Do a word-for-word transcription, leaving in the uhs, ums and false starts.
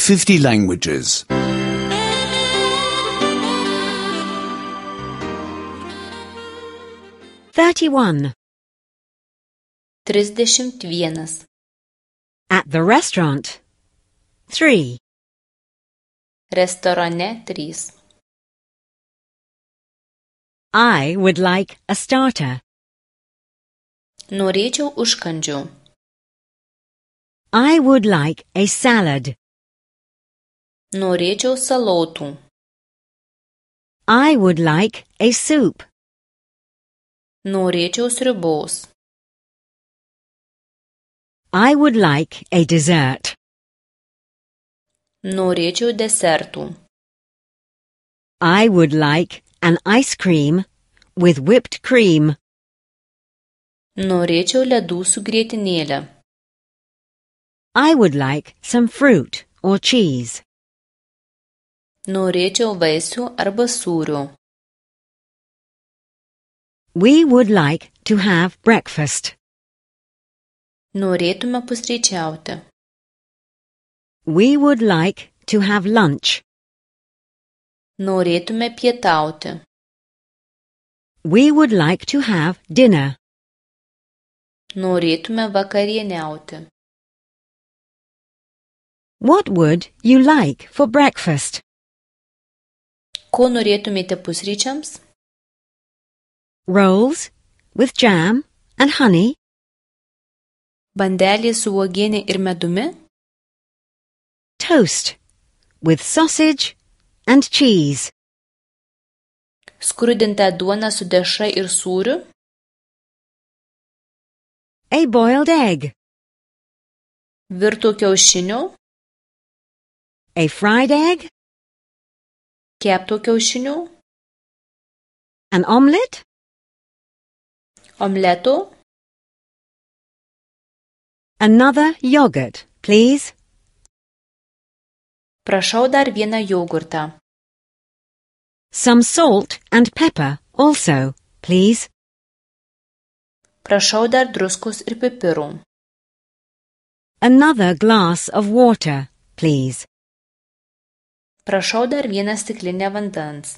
fifty languages. thirty-one. Trisdešimt vienas. At the restaurant. three. Restorane trys. I would like a starter. Norėčiau užkandžių. I would like a salad. Norėčiau salotų. I would like a soup. Norėčiau sriubos. I would like a dessert. Norėčiau desertų. I would like an ice cream with whipped cream. Norėčiau ledų su grietinėle. I would like some fruit or cheese. Norėčiau vaisių arba sūrio. We would like to have breakfast. Norėtume pusryčiauti. We would like to have lunch. Norėtume pietauti. We would like to have dinner. Norėtume vakarieniauti. What would you like for breakfast? Ko norėtumėte pusryčiams? Rolls with jam and honey. Bandelė su uogienė ir medumi? Toast with sausage and cheese. Skrudinta duona su dešra ir sūriu? A boiled egg. Virto kiaušinių? A fried egg. Kepto kiaušinių? An omelette. Omleto? Another yogurt, please. Prašau dar vieną jogurtą. Some salt and pepper also, please. Prašau dar druskos ir pipirų. Another glass of water, please. Prašau dar vieną stiklinę vandens.